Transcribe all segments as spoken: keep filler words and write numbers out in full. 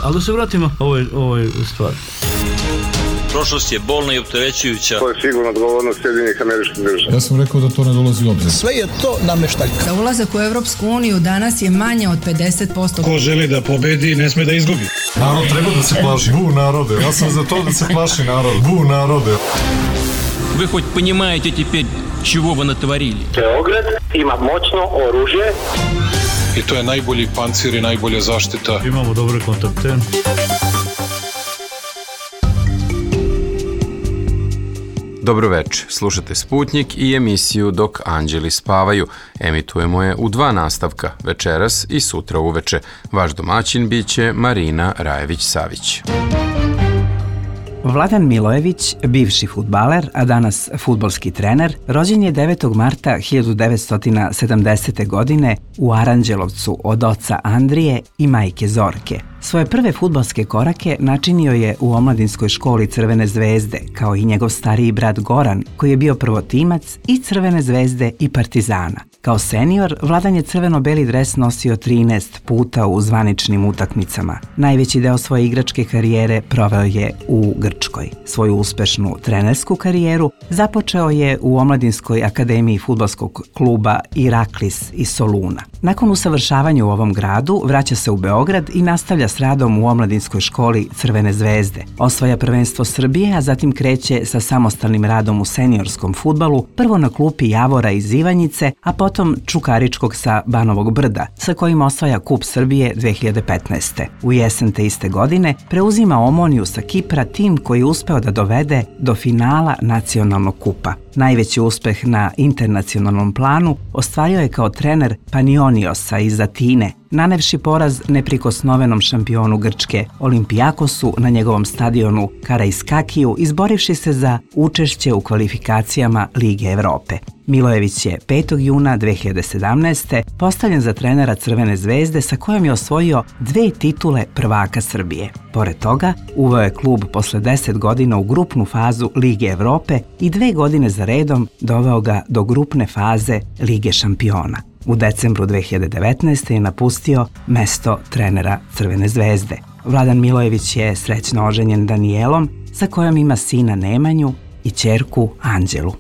Ali da se vratimo ovoj, ovoj stvari. Prošlost je bolna i opterećujuća. To je sigurno odgovornost Sjedinjenih Američkih Država. Ja sam rekao da to ne dolazi u obzir. Sve je to nameštaljka. Za ulazak u Evropsku uniju danas je manje od pedeset posto. Ko želi da pobedi, ne sme da izgubi. Narod treba da se plaši. Bu narode. Ja sam za to da se plaši narod. Bu narode. Вы хоть понимаете теперь, чего вы натворили? Beograd ima moćno oružje. I to je najbolji pancir i najbolja zaštita. Imamo dobre kontakte. Dobroveče, slušate Sputnjik i emisiju Dok anđeli spavaju. Emitujemo je u dva nastavka, večeras i sutra uveče. Vaš domaćin biće Marina Rajević-Savić. Vladan Milojević, bivši fudbaler, a danas fudbalski trener, rođen je devetog marta hiljadu devetsto sedamdesete. godine u Aranđelovcu od oca Andrije i majke Zorke. Svoje prve fudbalske korake načinio je u omladinskoj školi Crvene zvezde, kao i njegov stariji brat Goran, koji je bio prvotimac i Crvene zvezde i Partizana. Kao senior, Vladan je crveno-beli dres nosio trinaest puta u zvaničnim utakmicama. Najveći deo svoje igračke karijere proveo je u Grčkoj. Svoju uspešnu trenersku karijeru započeo je u omladinskoj akademiji fudbalskog kluba Iraklis iz Soluna. Nakon usavršavanja u ovom gradu, vraća se u Beograd i nastavlja s radom u omladinskoj školi Crvene zvezde. Osvaja prvenstvo Srbije, a zatim kreće sa samostalnim radom u seniorskom fudbalu, prvo na klupi Javora iz Ivanjice, a potom Čukaričkog sa Banovog Brda, sa kojim osvaja Kup Srbije dve hiljade petnaeste. U jesen te iste godine preuzima Omoniju sa Kipra, tim koji je uspeo da dovede do finala nacionalnog kupa. Najveći uspeh na internacionalnom planu ostvario je kao trener Panioniosa iz Atine, nanevši poraz neprikosnovenom šampionu Grčke Olimpijakosu na njegovom stadionu Karaiskakiju, izborivši se za učešće u kvalifikacijama Lige Evrope. Milojević je petog juna dve hiljade sedamnaeste. postavljen za trenera Crvene zvezde sa kojom je osvojio dve titule prvaka Srbije. Pored toga, uveo je klub posle deset godina u grupnu fazu Lige Evrope i dve godine za redom doveo ga do grupne faze Lige šampiona. U decembru dve hiljade devetnaeste. je napustio mesto trenera Crvene zvezde. Vladan Milojević je srećno oženjen Danijelom, sa kojom ima sina Nemanju i ćerku Anđelu.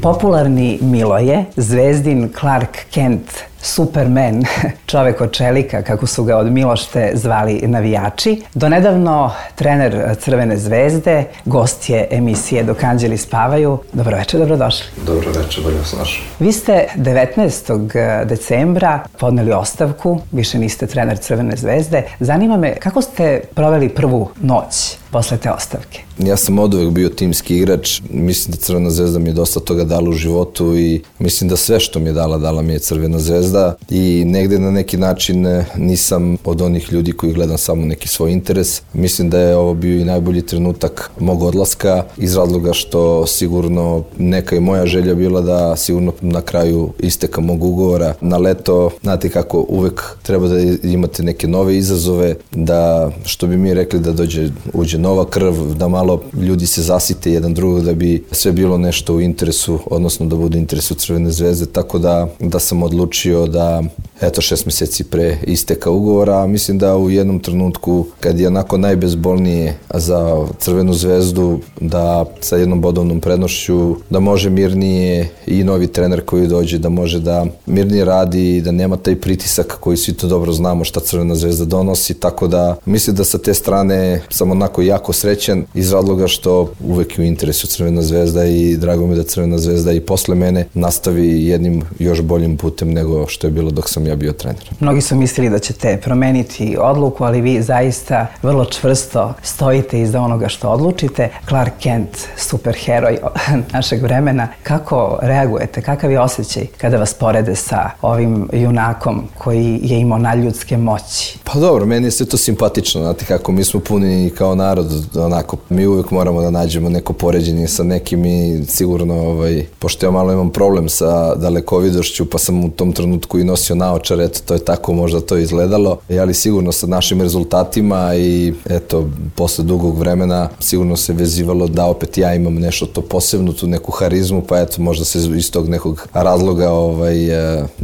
Popularni Miloje, zvezdin Clark Kent, Superman, čovek od čelika, kako su ga od Milošte zvali navijači. Donedavno trener Crvene zvezde, gost je emisije Dok anđeli spavaju. Dobroveče, dobrodošli. Dobroveče, bolje vas našao. Vi ste devetnaestog decembra podneli ostavku, više niste trener Crvene zvezde. Zanima me kako ste proveli prvu noć posle te ostavke? Ja sam oduvek bio timski igrač. Mislim da Crvena zvezda mi je dosta toga dala u životu i mislim da sve što mi je dala, dala mi je Crvena zvezda i negde na neki način nisam od onih ljudi koji gledam samo neki svoj interes. Mislim da je ovo bio i najbolji trenutak mog odlaska iz razloga što sigurno neka i moja želja bila da sigurno na kraju isteka mog ugovora na leto. Znate kako uvek treba da imate neke nove izazove, da što bi mi rekli da dođe, uđe nova krv, da malo ljudi se zasite jedan drugog da bi sve bilo nešto u interesu, odnosno da bude u interesu Crvene zvezde, tako da, da sam odlučio da eto šest meseci pre isteka ugovora. Mislim da u jednom trenutku kad je onako najbezbolnije za Crvenu zvezdu, da sa jednom bodovnom prednošću da može mirnije i novi trener koji dođe da može da mirnije radi i da nema taj pritisak koji svi to dobro znamo šta Crvena zvezda donosi, tako da mislim da sa te strane sam onako jako srećan iz razloga što uvek je u interesu Crvena zvezda i drago mi da Crvena zvezda i posle mene nastavi jednim još boljim putem nego što je bilo dok sam ja bio trener. Mnogi su mislili da ćete promeniti odluku, ali vi zaista vrlo čvrsto stojite iza onoga što odlučite. Clark Kent, superheroj našeg vremena. Kako reagujete? Kakav je osjećaj kada vas porede sa ovim junakom koji je imao nadljudske moći? Pa dobro, meni je sve to simpatično. Znate kako, mi smo puni kao narod, onako, mi uvijek moramo da nađemo neko poređenje sa nekim i sigurno, ovaj, pošto ja malo imam problem sa dalekovidošću, pa sam u tom trenutku i nosio naočare naočar, eto, to je tako možda to izgledalo, ali sigurno sa našim rezultatima i eto, posle dugog vremena sigurno se vezivalo da opet ja imam nešto to posebno, tu neku harizmu, pa eto, možda se iz tog nekog razloga, ovaj,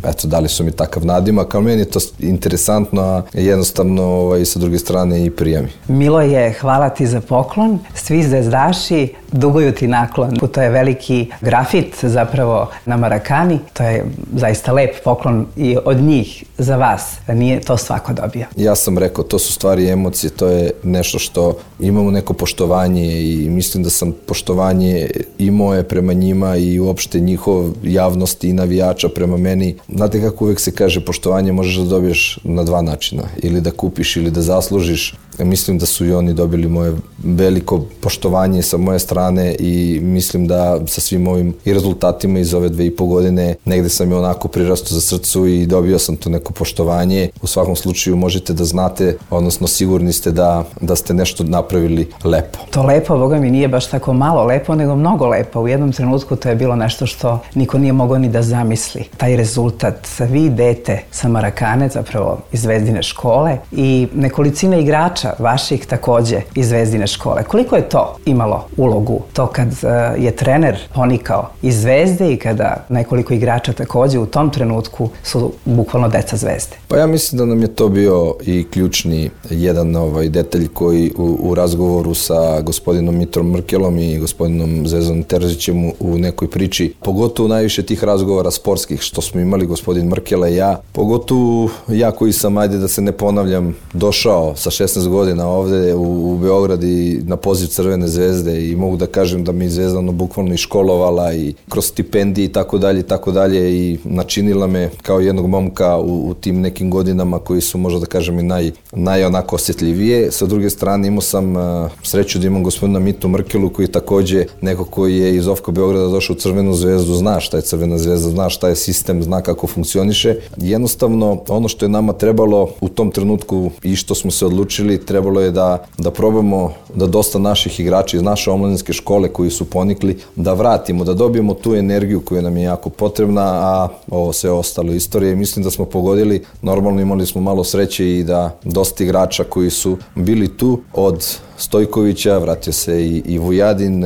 eto, dali su mi takav nadimak, ali meni je to interesantno, a jednostavno ovaj, sa druge strane i prijemi. Milo je, hvala ti za poklon. Svi zvezdaši duguju ti naklon. To je veliki grafit zapravo na Marakani. To je zaista lep poklon i od njih za vas. Nije to svako dobio. Ja sam rekao, to su stvari emocije, to je nešto što imamo neko poštovanje i mislim da sam poštovanje i moje prema njima i uopšte njihov javnosti i navijača prema meni. Znate kako uvek se kaže, poštovanje možeš da dobiješ na dva načina. Ili da kupiš ili da zaslužiš. Mislim da su i oni dobili moje veliko poštovanje sa moje strane i mislim da sa svim ovim i rezultatima iz ove dve i po godine negde sam je onako prirastao za srcu i dobio sam to neko poštovanje. U svakom slučaju možete da znate, odnosno sigurni ste da, da ste nešto napravili lepo. To lepo, boga mi, nije baš tako malo lepo, nego mnogo lepo. U jednom trenutku to je bilo nešto što niko nije mogao ni da zamisli. Taj rezultat, vi dete sa Marakane, zapravo iz Zvezdine škole i nekolicina igrača vaših takođe iz Zvezdine škole. Koliko je to imalo ulogu? To kad uh, je trener ponikao iz Zvezde i kada nekoliko igrača takođe u tom trenutku su bukvalno deca Zvezde. Pa ja mislim da nam je to bio i ključni jedan ovaj detalj koji u, u razgovoru sa gospodinom Mitrom Mrkelom i gospodinom Zvezdanom Terzićem u, u nekoj priči, pogotovo najviše tih razgovora sportskih što smo imali gospodin Mrkela i ja, pogotovo ja koji sam, ajde da se ne ponavljam, došao sa šesnaest godina ovde u, u Beograd i na poziv Crvene zvezde i mogu da kažem da mi Zvezdano bukvalno i školovala i kroz stipendije i tako dalje i tako dalje i načinila me kao jednog momka u, u tim nekim godinama koji su možda da kažem i naj, naj onako osjetljivije. Sa druge strane imao sam uh, sreću da imam gospodina Mitu Mrkelu koji takođe neko koji je iz Ofka Beograda došao u Crvenu zvezdu, zna šta je Crvena zvezda, zna šta je sistem, zna kako funkcioniše. Jednostavno ono što je nama trebalo u tom trenutku i što smo se odlučili, trebalo je da, da probamo da dosta naših igrača iz naše omladinske škole koji su ponikli, da vratimo, da dobijemo tu energiju koja nam je jako potrebna, a ovo sve ostalo istorije. Mislim da smo pogodili, normalno imali smo malo sreće i da dosta igrača koji su bili tu od Stojkovića, vratio se i, i Vujadin,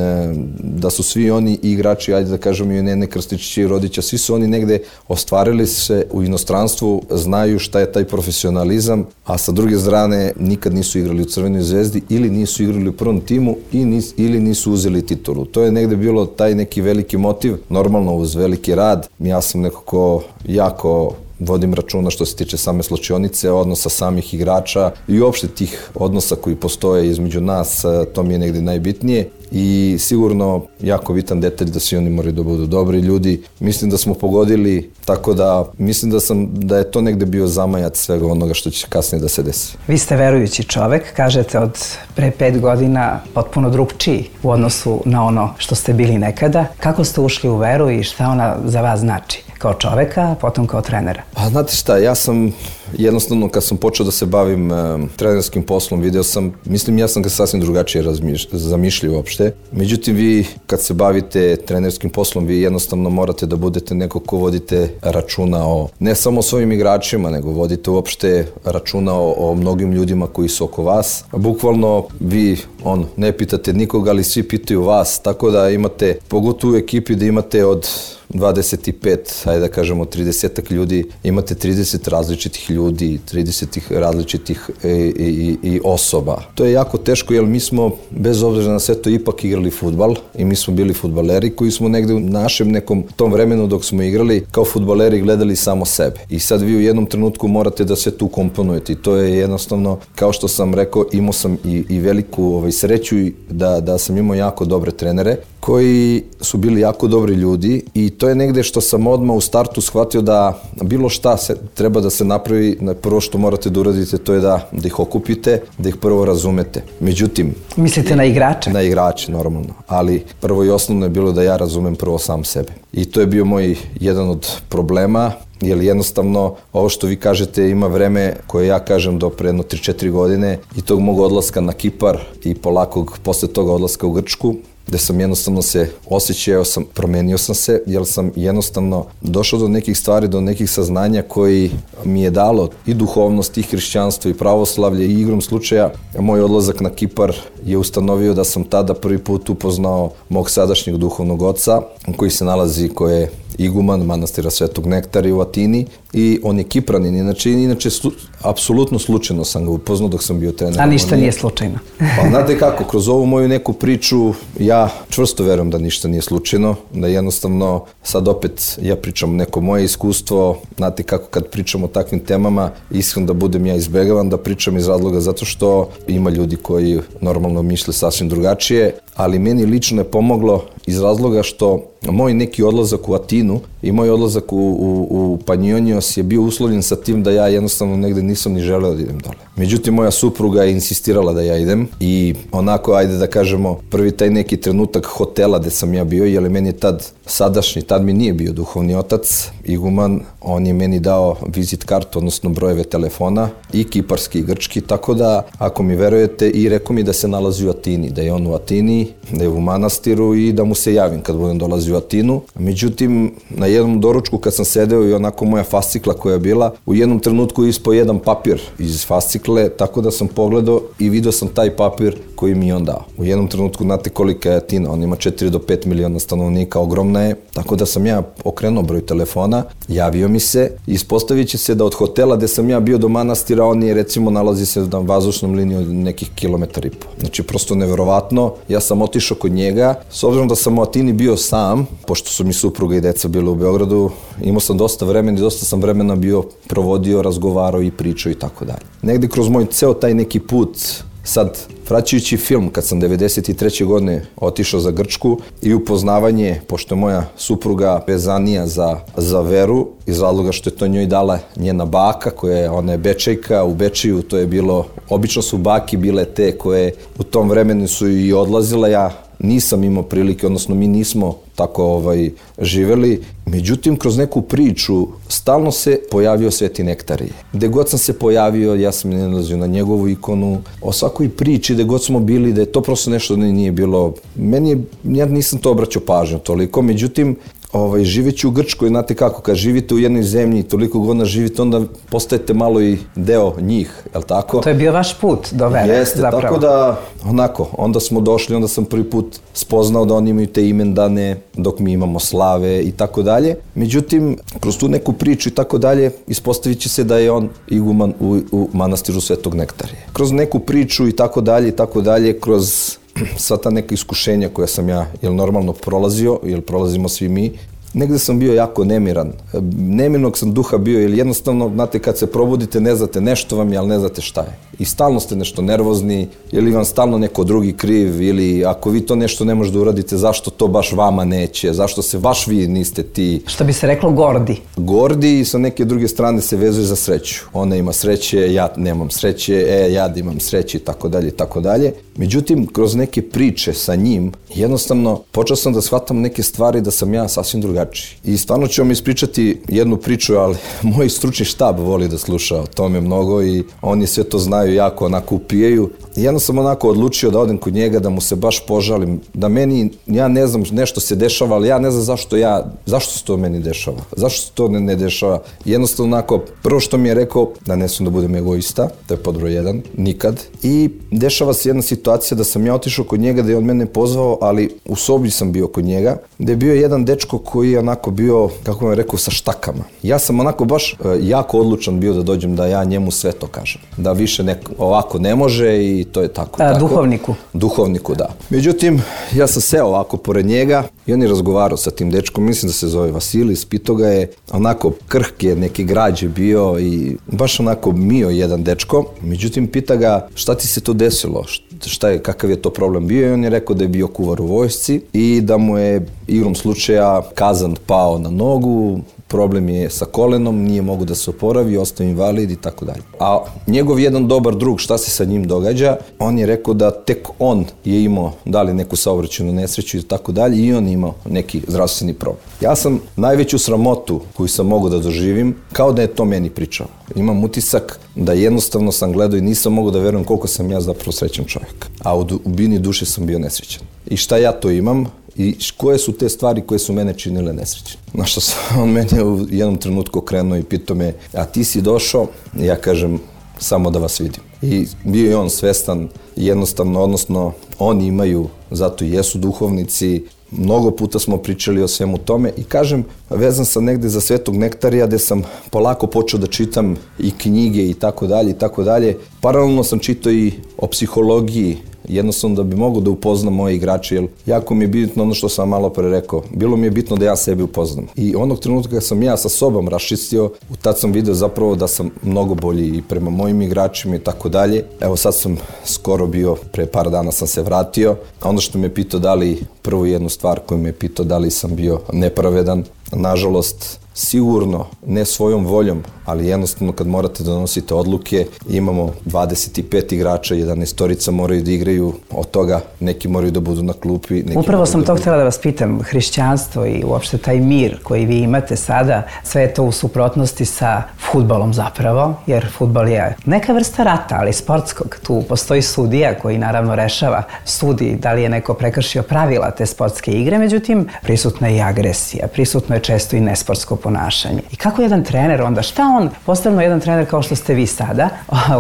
da su svi oni igrači, ajde da kažem i Nene Krstičića i Rodića, svi su oni negde ostvarili se u inostranstvu, znaju šta je taj profesionalizam, a sa druge strane nikad nisu igrali u Crvenoj zvezdi ili nisu igrali u prvom timu i nis, ili nisu uzeli titulu. To je negde bilo taj neki veliki motiv, normalno uz veliki rad. Ja sam nekako jako vodim računa što se tiče same slučionice, odnosa samih igrača i uopšte tih odnosa koji postoje između nas, to mi je negde najbitnije i sigurno jako bitan detalj da svi oni moraju da budu dobri ljudi. Mislim da smo pogodili, tako da mislim da sam da je to negde bio zamajac svega onoga što će kasnije da se desi. Vi ste verujući čovek, kažete od pre pet godina potpuno drugčiji u odnosu na ono što ste bili nekada. Kako ste ušli u veru i šta ona za vas znači? Kao čoveka, a potom kao trenera? Pa znate šta, ja sam jednostavno kad sam počeo da se bavim e, trenerskim poslom, video sam, mislim ja sam ga sasvim drugačije razmišlj, zamišljio uopšte. Međutim, vi kad se bavite trenerskim poslom, vi jednostavno morate da budete neko ko vodite računa o, ne samo o svojim igračima, nego vodite uopšte računa o, o mnogim ljudima koji su oko vas. Bukvalno vi, on, ne pitate nikoga, ali svi pitaju vas, tako da imate, pogotovo u ekipi da imate od dvadeset pet, ajde da kažemo trideset ljudi, imate trideset različitih ljudi, trideset različitih i, i, i osoba. To je jako teško jer mi smo, bez obzira na sve to, ipak igrali fudbal i mi smo bili fudbaleri koji smo negde u našem nekom tom vremenu dok smo igrali kao fudbaleri gledali samo sebe. I sad vi u jednom trenutku morate da sve tu komponujete i to je jednostavno, kao što sam rekao, imao sam i, i veliku ovaj, sreću da, da sam imao jako dobre trenere koji su bili jako dobri ljudi i to je negde što sam odmah u startu shvatio da bilo šta se, treba da se napravi, prvo što morate da uradite to je da, da ih okupite, da ih prvo razumete. Međutim... Mislite na igrače? Na igrače, normalno. Ali prvo i osnovno je bilo da ja razumem prvo sam sebe. I to je bio moj jedan od problema, jer jednostavno ovo što vi kažete ima vreme koje ja kažem do pre jedno tri četiri godine i tog mog odlaska na Kipar i polakog posle toga odlaska u Grčku. gde sam jednostavno se osjećao sam, promenio sam se, jer sam jednostavno došao do nekih stvari, do nekih saznanja koji mi je dalo i duhovnost, i hrišćanstvo, i pravoslavlje, i igrom slučaja. Moj odlazak na Kipar je ustanovio da sam tada prvi put upoznao mog sadašnjeg duhovnog oca, koji se nalazi, koji je iguman manastira Svetog Nektara u Atini, i on je Kipranin, inače, inače slu, apsolutno slučajno sam ga upoznao dok sam bio trener. A ništa nije slučajno. Pa znate kako, kroz ovu moju neku priču ja čvrsto verujem da ništa nije slučajno, da jednostavno sad opet ja pričam neko moje iskustvo, znate kako kad pričam o takvim temama, iskreno da budem ja izbegavan da pričam iz razloga zato što ima ljudi koji normalno misle sasvim drugačije, ali meni lično je pomoglo iz razloga što moj neki odlazak u Atinu i moj odlazak u, u, u Panjonios je bio uslovljen sa tim da ja jednostavno negde nisam ni želeo da idem dole. Međutim, moja supruga je insistirala da ja idem i onako, ajde da kažemo, prvi taj neki trenutak hotela gde sam ja bio, jer meni je tad sadašnji, tad mi nije bio duhovni otac, iguman, on je meni dao vizit kartu, odnosno brojeve telefona, i kiparski i grčki, tako da, ako mi verujete, i rekao mi da se nalazi u Atini, da je on u Atini, da je u manastiru i da mu se javim kad budem dolazio u Atinu. Međutim, na jednom doručku kad sam sedeo i onako moja fascikla koja je bila, u jednom trenutku ispao jedan papir iz fascikle, tako da sam pogledao i vidio sam taj papir koji mi je on dao. U jednom trenutku, znate kolika je Atina, on ima četiri do pet miliona stanovnika, ogromna je, tako da sam ja okrenuo broj telefona, javio mi se, ispostavit će se da od hotela gde sam ja bio do manastira, on je recimo nalazi se na vazdušnom liniji od nekih kilometar i po. Znači, prosto neverovatno. Ja sam otišao kod njega, s obzirom da sam u Atini bio sam, pošto su mi supruga i deca bile u Beogradu, imao sam dosta vremena i dosta sam vremena bio provodio, razgovarao i pričao i tako dalje. Negde kroz moj ceo taj neki put, sad, vraćajući film, kad sam devedeset treće godine otišao za Grčku i upoznavanje, pošto je moja supruga vezanija za, za veru, iz razloga što je to njoj dala njena baka, koja je, ona je Bečejka, u Bečiju to je bilo, obično su baki bile te koje u tom vremenu su i odlazile, ja nisam imao prilike, odnosno mi nismo tako ovaj, živeli. Međutim, kroz neku priču stalno se pojavio Sveti Nektarije. Gde god sam se pojavio, ja sam nalazio na njegovu ikonu, o svakoj priči, gde god smo bili, da je to prosto nešto nije bilo. Meni je, ja nisam to obraćao pažnju toliko, međutim, Ovaj, živeći u Grčkoj, znate kako, kad živite u jednoj zemlji i toliko godina živite, onda postajete malo i deo njih, je li tako? To je bio vaš put do vere, Jeste, zapravo. Tako da, onako, onda smo došli, onda sam prvi put spoznao da oni imaju te imendane, dok mi imamo slave i tako dalje. Međutim, kroz tu neku priču i tako dalje, ispostavit će se da je on iguman u, u manastiru Svetog Nektarije. Kroz neku priču i tako dalje i tako dalje, kroz sva ta neka iskušenja koja sam ja, jel normalno prolazio, jel prolazimo svi mi, negde sam bio jako nemiran. Nemirnog sam duha bio, jer jednostavno, znate, kad se probudite, ne znate, nešto vam je, ali ne znate šta je. I stalno ste nešto nervozni, ili vam stalno neko drugi kriv, ili ako vi to nešto ne možete da uradite, zašto to baš vama neće, zašto se baš vi niste ti... Što bi se reklo gordi. Gordi i sa neke druge strane se vezuje za sreću. Ona ima sreće, ja nemam sreće, e, ja imam sreće i tako dalje i tako dalje. Međutim, kroz neke priče sa njim, jednostavno, počeo sam da shvatam neke stvari da sam ja sasvim drugačiji. I stvarno ću vam ispričati jednu priču, ali moj stručni štab voli da sluša o tome mnogo i oni sve to znaju, jako onako upijaju. I jedno sam onako odlučio da odem kod njega, da mu se baš požalim, da meni, ja ne znam, nešto se dešava, ali ja ne znam zašto ja, zašto se to meni dešava, zašto se to ne, ne dešava. Jednostavno onako, prvo što mi je rekao, da ne sam da budem egoista, to je pod broj jedan, nikad. I dešava se jedna situacija da sam ja otišao kod njega, da je on mene pozvao, ali u sobi sam bio kod njega, da je bio jedan dečko koji je onako bio, kako vam rekao, sa štakama. Ja sam onako baš e, jako odlučan bio da dođem da ja njemu sve to kažem. Da više ne, ovako ne može i to je tako. A, tako. Duhovniku. Duhovniku, da. Međutim, ja sam seo ovako pored njega i on je razgovarao sa tim dečkom, mislim da se zove Vasilis, pitao ga je, onako krhke, neki građe bio i baš onako mio jedan dečko. Međutim, pita ga šta ti se to desilo, šta je, kakav je to problem bio i on je rekao da je bio kuvar u vojsci i da mu je igrom slučaja kazan pao na nogu, problem je sa kolenom, nije mogu da se oporavi, ostao invalid i tako dalje. A njegov jedan dobar drug, šta se sa njim događa, on je rekao da tek on je imao, da li neku saobraćajnu nesreću i tako dalje, i on je imao neki zdravstveni problem. Ja sam najveću sramotu koju sam mogao da doživim, kao da je to meni pričao. Imam utisak da jednostavno sam gledao i nisam mogao da verujem koliko sam ja zapravo srećan čovjek. A u dubini duše sam bio nesrećan. i šta ja to imam i koje su te stvari koje su mene činile nesrećne. Na što sam, on meni u jednom trenutku okrenuo i pitao me, a ti si došao? Ja kažem, samo da vas vidim. I bio je on svestan jednostavno, odnosno oni imaju, zato i jesu duhovnici, mnogo puta smo pričali o svemu tome i kažem, vezan sam negde za Svetog Nektarija gde sam polako počeo da čitam i knjige i tako dalje i tako dalje. Paralelno sam čitao i o psihologiji, jednostavno da bi mogao da upoznam moje igrače, jer jako mi je bitno ono što sam malo pre rekao, bilo mi je bitno da ja sebi upoznam. I onog trenutka kad sam ja sa sobom raščistio, tad sam video zapravo da sam mnogo bolji i prema mojim igračima i tako dalje. Evo sad sam skoro bio, pre par dana sam se vratio, a ono što me pitao da li, prvu jednu stvar koju me pitao da li sam bio nepravedan, nažalost, sigurno, ne svojom voljom, ali jednostavno kad morate da donosite odluke, imamo dvadeset pet igrača, jedanaestorica moraju da igraju, od toga neki moraju da budu na klupi. Neki Upravo sam da to budu... htjela da vas pitam, hrišćanstvo i uopšte taj mir koji vi imate sada, sve je to u suprotnosti sa fudbalom zapravo, jer fudbal je neka vrsta rata, ali sportskog. Tu postoji sudija koji naravno rešava, sudi da li je neko prekršio pravila te sportske igre, međutim prisutna je i agresija, prisutno je često i nesportsko ponašanje. I kako jedan trener onda, šta on, posebno jedan trener kao što ste vi sada,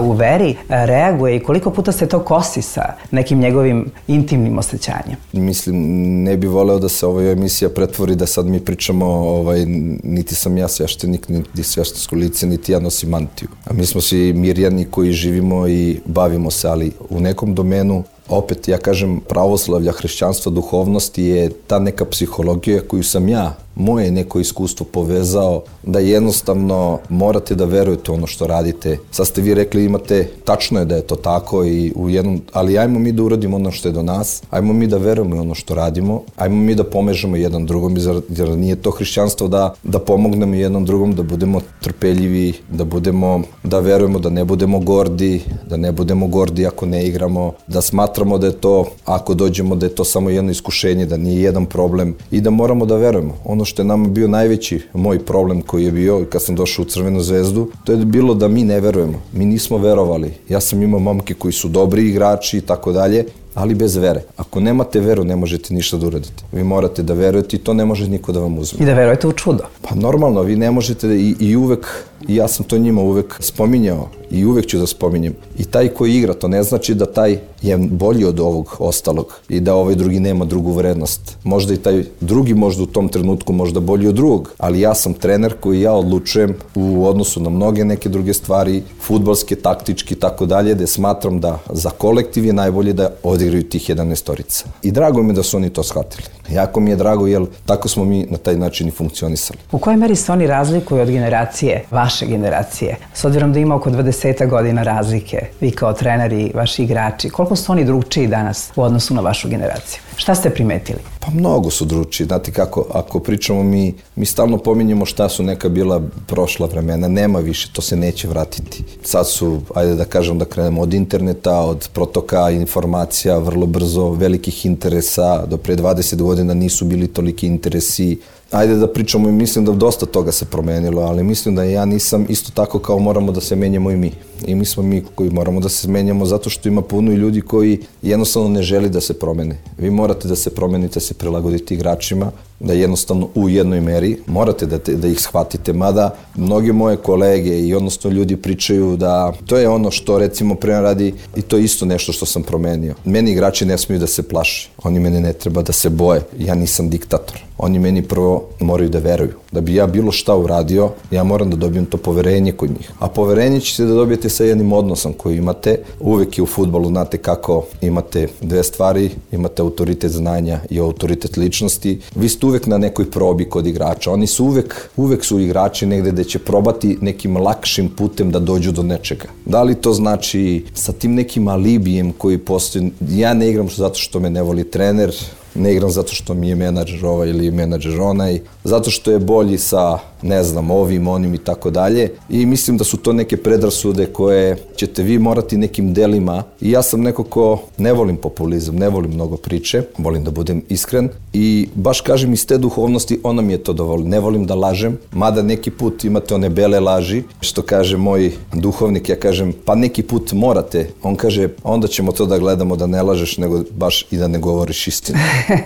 u veri reaguje i koliko puta se to kosi sa nekim njegovim intimnim osjećanjem? Mislim, ne bi voleo da se ova emisija pretvori da sad mi pričamo, ovaj, niti sam ja sveštenik, niti sveštensko lice, niti ja nosim mantiju. A mi smo svi mirjani koji živimo i bavimo se, ali u nekom domenu opet, ja kažem, pravoslavlja, hrišćanstva, duhovnosti je ta neka psihologija koju sam ja, moje neko iskustvo povezao, da jednostavno morate da verujete ono što radite. Sad ste vi rekli, imate, tačno je da je to tako, i u jednom, ali ajmo mi da uradimo ono što je do nas, ajmo mi da verujemo ono što radimo, ajmo mi da pomežemo jedan drugom, jer nije to hrišćanstvo da, da pomognemo jednom drugom, da budemo trpeljivi, da budemo, da verujemo, da ne budemo gordi, da ne budemo gordi ako ne igramo, da smatramo da je to, ako dođemo, da je to samo jedno iskušenje, da nije jedan problem i da moramo da verujemo. Ono što je nama bio najveći moj problem koji je bio kad sam došao u Crvenu zvezdu, to je bilo da mi ne verujemo. Mi nismo verovali. Ja sam imao momke koji su dobri igrači i tako dalje, ali bez vere. Ako nemate veru, ne možete ništa da uradite. Vi morate da verujete i to ne može niko da vam uzme. I da verujete u čudo. Pa normalno, vi ne možete i, i uvek, i ja sam to njima uvek spominjao i uvek ću da spominjem. I taj koji igra, to ne znači da taj je bolji od ovog ostalog i da ovaj drugi nema drugu vrednost. Možda i taj drugi možda u tom trenutku možda bolji od drugog, ali ja sam trener koji ja odlučujem u odnosu na mnoge neke druge stvari, fudbalske, taktički i tako dalje, da smatram da za kolektiv je najbolje da odigraju tih jedanaestorica. I drago mi je da su oni to shvatili. Jako mi je drago, jer tako smo mi na taj način i funkcionisali. U kojoj meri se oni razlikuju od generacije, vaše generacije? S obzirom da ima oko dvadeset godina razlike, vi kao trener i vaši igrači, koliko su oni drugčiji danas u odnosu na vašu generaciju? Šta ste primetili? Pa mnogo su drugčiji. Znate kako, ako pričamo mi, mi stalno pominjemo šta su neka bila prošla vremena. Nema više, to se neće vratiti. Sad su, ajde da kažem da krenemo od interneta, od protoka informacija, vrlo brzo, velikih interesa. Do pre dvadeset godina nisu bili toliki interesi. Ajde da pričamo i mislim da dosta toga se promenilo, ali mislim da ja nisam isto tako kao moramo da se menjamo i mi. I mi smo mi koji moramo da se menjamo zato što ima puno i ljudi koji jednostavno ne želi da se promene. Vi morate da se promenite, se prilagodite igračima, da jednostavno u jednoj meri morate da, te, da ih shvatite, mada mnogi moje kolege i odnosno ljudi pričaju da to je ono što recimo prema radi i to je isto nešto što sam promenio. Meni igrači ne smiju da se plaši, oni mene ne treba da se boje, ja nisam diktator. Oni meni prvo moraju da veruju. Da bi ja bilo šta uradio, ja moram da dobijem to poverenje kod njih. A poverenje ćete da dobijete sa jednim odnosom koji imate. Uvek je u fudbalu, znate kako, imate dve stvari, imate autoritet znanja i autoritet ličnosti. Vi ste uvek na nekoj probi kod igrača. Oni su uvek, uvek su igrači negde da će probati nekim lakšim putem da dođu do nečega. Da li to znači sa tim nekim alibijem koji postoji, ja ne igram zato što me ne voli trener, ne igram zato što mi je menadžer ovaj ili menadžer onaj, zato što je bolji sa ne znam, ovim, onim i tako dalje. I mislim da su to neke predrasude koje ćete vi morati nekim delima. I ja sam neko ko ne volim populizam, ne volim mnogo priče, volim da budem iskren. I baš kažem iz te duhovnosti, ona mi je to dovoljno. Ne volim da lažem, mada neki put imate one bele laži, što kaže moj duhovnik, ja kažem, pa neki put morate. On kaže, onda ćemo to da gledamo da ne lažeš, nego baš i da ne govoriš istinu.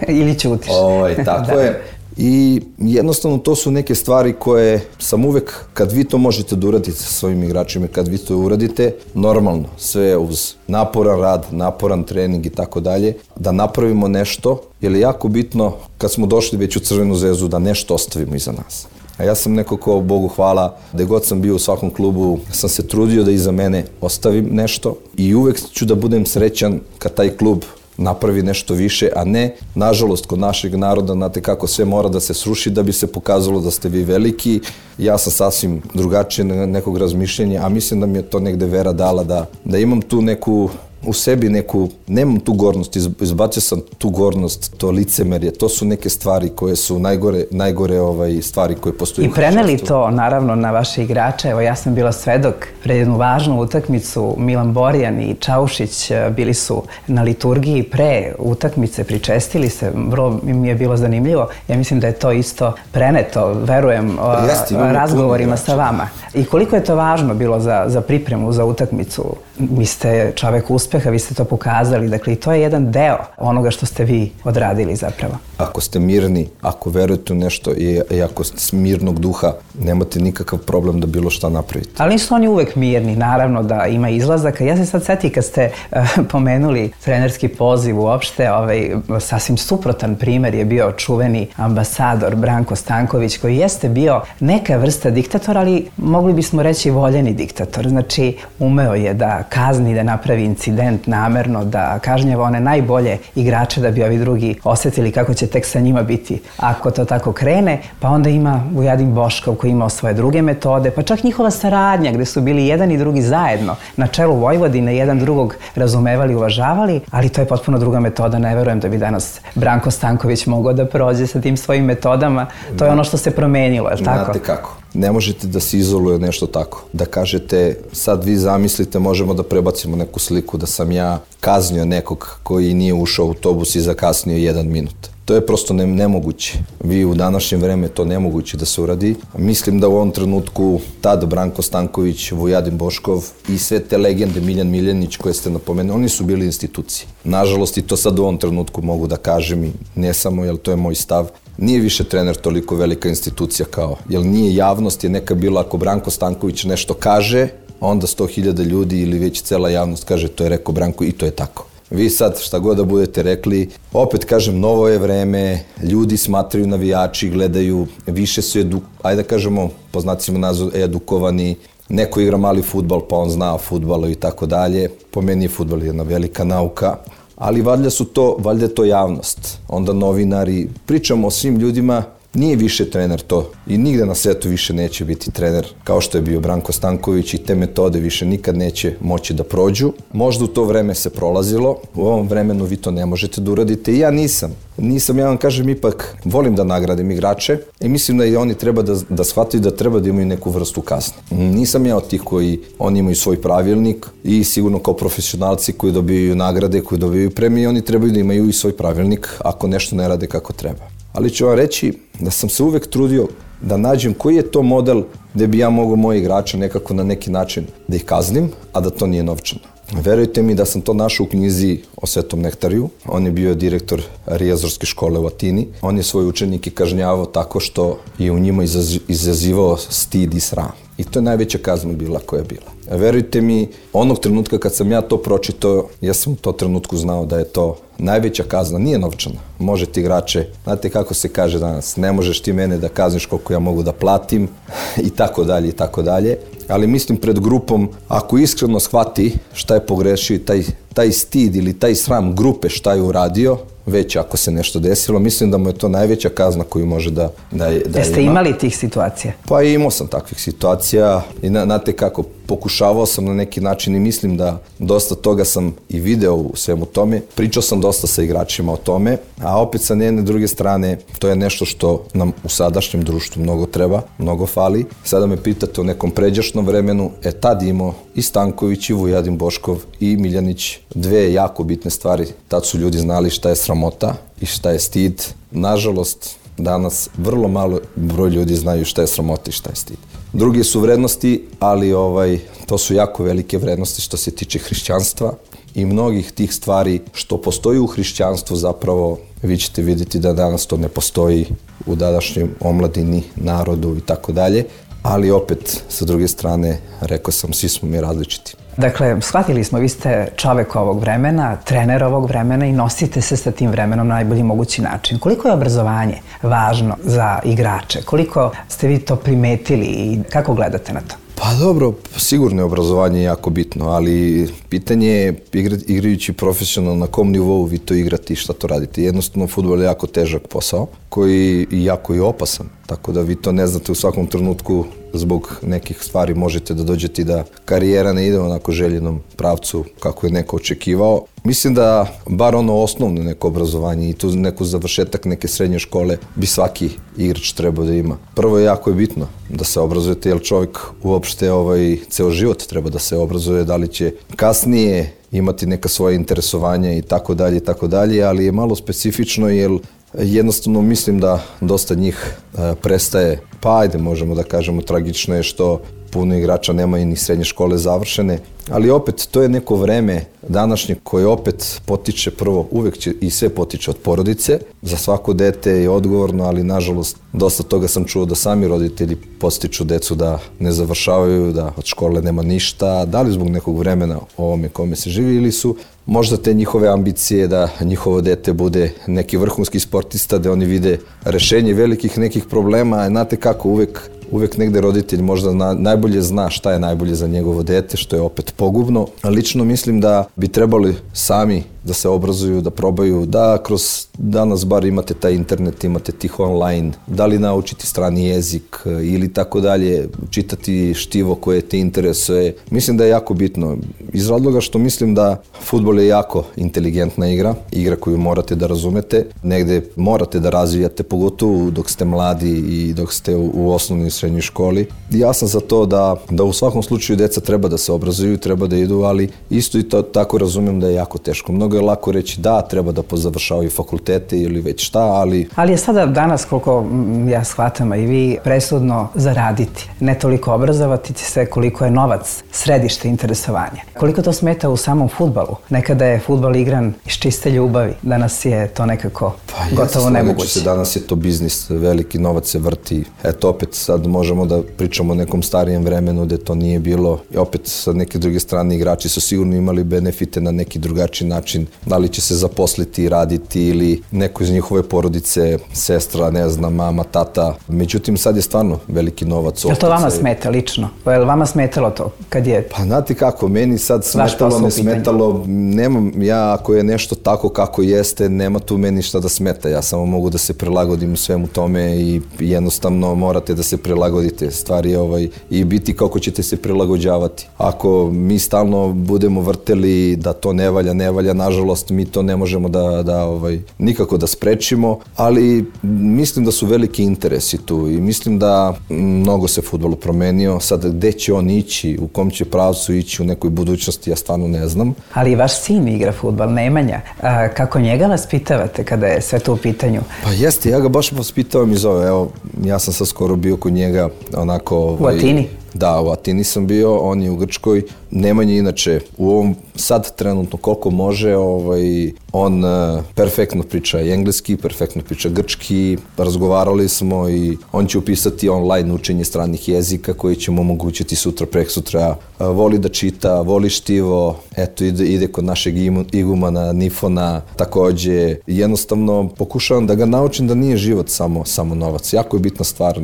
Ili ćutiš. Ovaj, tako da. Je. I jednostavno to su neke stvari koje sam uvek, kad vi to možete da uradite sa svojim igračima, kad vi to uradite, normalno, sve uz naporan rad, naporan trening i tako dalje, da napravimo nešto, jer je jako bitno kad smo došli već u Crvenu zvezdu da nešto ostavimo iza nas. A ja sam neko ko, Bogu hvala, gde god sam bio u svakom klubu, sam se trudio da iza mene ostavim nešto i uvek ću da budem srećan kad taj klub napravi nešto više, a ne, nažalost, kod našeg naroda, znate kako sve mora da se sruši da bi se pokazalo da ste vi veliki. Ja sam sasvim drugačije nekog razmišljenja, a mislim da mi je to negde vera dala da, da imam tu neku, u sebi neku, nemam tu gornost, izbacio sam tu gornost, to licemerje, to su neke stvari koje su najgore, najgore ovaj, stvari koje postoje. I preneli to, naravno, na vaše igrače. Evo, ja sam bila svedok pred jednu važnu utakmicu. Milan Borjan i Čaušić bili su na liturgiji pre utakmice, pričestili se, vrlo mi je bilo zanimljivo. Ja mislim da je to isto preneto, verujem, Jesti, razgovorima sa vama. I koliko je to važno bilo za, za pripremu, za utakmicu? Vi ste čovek uspeha, vi ste to pokazali, dakle i to je jedan deo onoga što ste vi odradili zapravo. Ako ste mirni, ako verujete u nešto i, i ako ste mirnog duha, nemate nikakav problem da bilo šta napravite. Ali nisu oni uvek mirni, naravno da ima izlazaka. Ja se sad seti kad ste uh, pomenuli trenerski poziv uopšte, ovaj, sasvim suprotan primer je bio čuveni ambasador Branko Stanković, koji jeste bio neka vrsta diktatora, ali mogli bismo reći voljeni diktator. Znači, umeo je da kazni, da napravi incident namerno, da kažnjava one najbolje igrače da bi ovi drugi osetili kako će tek sa njima biti ako to tako krene. Pa onda ima Vujadin Boškov koji imao svoje druge metode, pa čak njihova saradnja gde su bili jedan i drugi zajedno na čelu Vojvodine, jedan drugog razumevali, uvažavali, ali to je potpuno druga metoda. Ne verujem da bi danas Branko Stanković mogao da prođe sa tim svojim metodama. To je ono što se promenilo, je li tako? Znate kako. Ne možete da se izoluje nešto tako. Da kažete, sad vi zamislite, možemo da prebacimo neku sliku da sam ja kaznio nekog koji nije ušao u autobus i zakasnio jedan minut. To je prosto ne, nemoguće. Vi u današnje vreme to nemoguće da se uradi. Mislim da u ovom trenutku tad Branko Stanković, Vujadin Boškov i sve te legende, Miljan Miljanić koje ste napomenuli, oni su bili institucije. Nažalost i to sad u ovom trenutku mogu da kažem i ne samo, jer to je moj stav. Nije više trener toliko velika institucija kao, jer nije javnost, je neka bila ako Branko Stanković nešto kaže, onda sto hiljada ljudi ili već cela javnost kaže to je rekao Branko i to je tako. Vi sad šta god da budete rekli, opet kažem, novo je vreme, ljudi smatraju, navijači, gledaju, više su, edu, ajde da kažemo, po znacima nazvu, edukovani, neko igra mali fudbal pa on zna o fudbalu i tako dalje. Po meni je fudbal jedna velika nauka, ali valjda su to, valjda je to javnost. Onda novinari, pričamo o svim ljudima, nije više trener to i nigde na svetu više neće biti trener kao što je bio Branko Stanković i te metode više nikad neće moći da prođu. Možda u to vreme se prolazilo, u ovom vremenu vi to ne možete da uradite i ja nisam. Nisam, ja vam kažem, ipak volim da nagradim igrače i mislim da i oni treba da, da shvataju da treba da imaju neku vrstu kazne. Nisam ja od tih koji, oni imaju svoj pravilnik i sigurno kao profesionalci koji dobijaju nagrade, koji dobijaju premije, oni trebaju da imaju i svoj pravilnik ako nešto ne rade kako treba. Ali ću vam reći da sam se uvek trudio da nađem koji je to model gde bi ja mogao moje igrače nekako na neki način da ih kaznim, a da to nije novčano. Verujte mi da sam to našao u knjizi o Svetom Nektariju. On je bio direktor Rijazorske škole u Atini. On je svoje učenike kažnjavao tako što je u njima izazivao stid i sram. I to je najveća kazna bila koja je bila. Verujte mi, onog trenutka kad sam ja to pročitao, ja sam u to trenutku znao da je to najveća kazna, nije novčana. Možete igrače, znate kako se kaže danas, ne možeš ti mene da kazniš koliko ja mogu da platim i tako dalje i tako dalje. Ali mislim pred grupom, ako iskreno shvati šta je pogrešio i taj taj stid ili taj sram grupe šta je uradio, već ako se nešto desilo, mislim da mu je to najveća kazna koju može da, da, da Jeste ima. imali tih situacija? Pa imao sam takvih situacija i znate kako, pokušavao sam na neki način i mislim da dosta toga sam i video u svemu tome. Pričao sam dosta sa igračima o tome, a opet sa jedne druge strane to je nešto što nam u sadašnjem društvu mnogo treba, mnogo fali. Sada me pitate o nekom pređašnjem vremenu, e tad imao i Stanković i Vujadin Boškov i Miljanić dve jako bitne stvari. Tad su ljudi znali šta je sramota i šta je stid. Nažalost, danas vrlo malo broj ljudi znaju šta je sramota i šta je stid. Druge su vrednosti, ali ovaj, to su jako velike vrednosti što se tiče hrišćanstva i mnogih tih stvari što postoji u hrišćanstvu zapravo vi ćete vidjeti da danas to ne postoji u današnjem omladini, narodu i tako dalje, ali opet sa druge strane rekao sam svi smo mi različiti. Dakle, shvatili smo, vi ste čovek ovog vremena, trener ovog vremena i nosite se sa tim vremenom na najbolji mogući način. Koliko je obrazovanje važno za igrače? Koliko ste vi to primetili i kako gledate na to? Pa dobro, sigurno je obrazovanje jako bitno, ali pitanje je igra, igrajući profesionalno na kom nivou vi to igrate i šta to radite. Jednostavno, fudbal je jako težak posao koji je jako i opasan, tako da vi to ne znate u svakom trenutku zbog nekih stvari možete da dođete i da karijera ne ide u onako željenom pravcu kako je neko očekivao. Mislim da bar ono osnovno neko obrazovanje i tu neku završetak neke srednje škole bi svaki igrač trebao da ima. Prvo je jako je bitno da se obrazujete jer čovjek uopšte ovaj, ceo život treba da se obrazuje, da li će kasnije imati neka svoje interesovanja i tako dalje i tako dalje, ali je malo specifično jer jednostavno mislim da dosta njih e, prestaje, pa ajde možemo da kažemo tragično je što puno igrača nema i ni srednje škole završene, ali opet to je neko vreme današnje koje opet potiče prvo, uvek će i sve potiče od porodice, za svako dete je odgovorno, ali nažalost dosta toga sam čuo da sami roditelji postiču decu da ne završavaju, da od škole nema ništa, da li zbog nekog vremena ovome kome se živi ili su možda te njihove ambicije da njihovo dete bude neki vrhunski sportista, da oni vide rešenje velikih nekih problema, znate kako uvek Uvek negde roditelj možda na, najbolje zna šta je najbolje za njegovo dete, što je opet pogubno. Lično mislim da bi trebali sami da se obrazuju, da probaju, da kroz danas bar imate taj internet, imate tih online, da li naučiti strani jezik ili tako dalje, čitati štivo koje te interesuje. Mislim da je jako bitno. Iz razloga što mislim da fudbal je jako inteligentna igra, igra koju morate da razumete, negde morate da razvijate, pogotovo dok ste mladi i dok ste u, u osnovnoj i srednjoj školi. Ja sam za to da, da u svakom slučaju deca treba da se obrazuju, treba da idu, ali isto i to tako razumem da je jako teško. Mnogo je lako reći da, treba da pozavršavaju fakultete ili već šta, ali... Ali je sada danas, koliko ja shvatam, a i vi, presudno zaraditi. Ne toliko obrazovati se koliko je novac središte interesovanja. Koliko to smeta u samom fudbalu? Nekada je fudbal igran iz čiste ljubavi. Danas je to nekako pa, gotovo nemoguće. Se, danas je to biznis, veliki novac se vrti. Eto, opet sad možemo da pričamo o nekom starijem vremenu gde to nije bilo. I opet sa neke druge strane igrači su sigurno imali benefite na neki drugačiji način. Da li će se zaposliti, raditi ili neko iz njihove porodice, sestra, ne znam, mama, tata. Međutim, sad je stvarno veliki novac. Je li to vama smeta lično? Je li vama smetalo to kad je... Pa znate kako, meni sad smetalo, ne smetalo. Nemam, ja ako je nešto tako kako jeste, nema tu meni šta da smeta. Ja samo mogu da se prilagodim svemu tome i jednostavno morate da se prilagodite stvari ovaj, i biti kako ćete se prilagođavati. Ako mi stalno budemo vrteli da to ne valja, ne valja, nažalost mi to ne možemo da, da ovaj, nikako da sprečimo, ali mislim da su veliki interesi tu i mislim da mnogo se fudbal promenio. Sad gde će on ići, u kom će pravcu ići u nekoj budućnosti, ja stvarno ne znam. Ali i vaš sin igra fudbal, Nemanja. A, kako njega vaspitavate kada je sve to u pitanju? Pa jeste, ja ga baš vaspitavam iz ove, evo, ja sam sad skoro bio kod njega onako... Ovaj, u Atini? Da, u Atini sam bio, on je u Grčkoj. Nemanja inače u ovom sad trenutno koliko može, ovaj, on uh, perfektno priča engleski, perfektno priča grčki, razgovarali smo i on će upisati online učenje stranih jezika koji će mu omogućiti sutra, preksutra. Uh, voli da čita, voli štivo, eto ide, ide kod našeg igumana Nifona, takođe jednostavno pokušavam da ga naučim da nije život samo, samo novac. Jako je bitna stvar,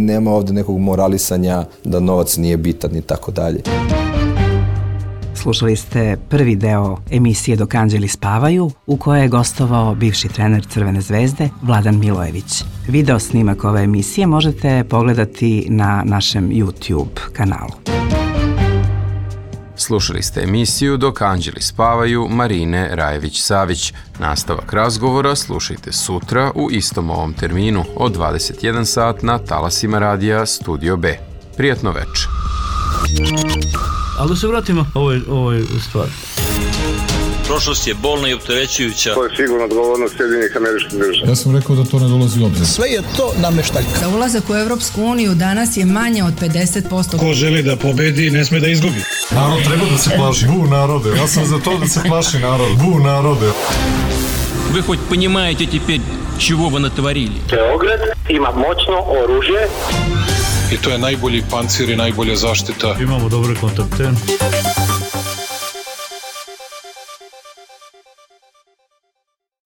nema ovde nekog moralisanja da novac nije bitan i tako dalje. Slušali ste prvi deo emisije Dok anđeli spavaju, u kojoj je gostovao bivši trener Crvene zvezde Vladan Milojević. Video snimak ove emisije možete pogledati na našem YouTube kanalu. Slušali ste emisiju Dok anđeli spavaju Marine Rajević-Savić. Nastavak razgovora slušajte sutra u istom ovom terminu od dvadeset jedan sat na talasima radija Studio B. Prijatno veče. Ali da se vratimo ovoj, ovoj stvari. Prošlost je bolna i opterećujuća. To je sigurno odgovornost Sjedinjenih Američkih Država. Ja sam rekao da to ne dolazi u obzir. Sve je to nameštaljka. Za ulazak u Evropsku uniju danas je manje od pedeset posto. Ko želi da pobedi, ne sme da izgubi. Narod treba da se plaši. Bu narode, ja sam za to da se plaši narod. Bu narode. Вы хоть понимаете теперь, чего вы натворили? Beograd ima moćno oružje. I to je najbolji pancir i najbolja zaštita. Imamo dobre kontakte.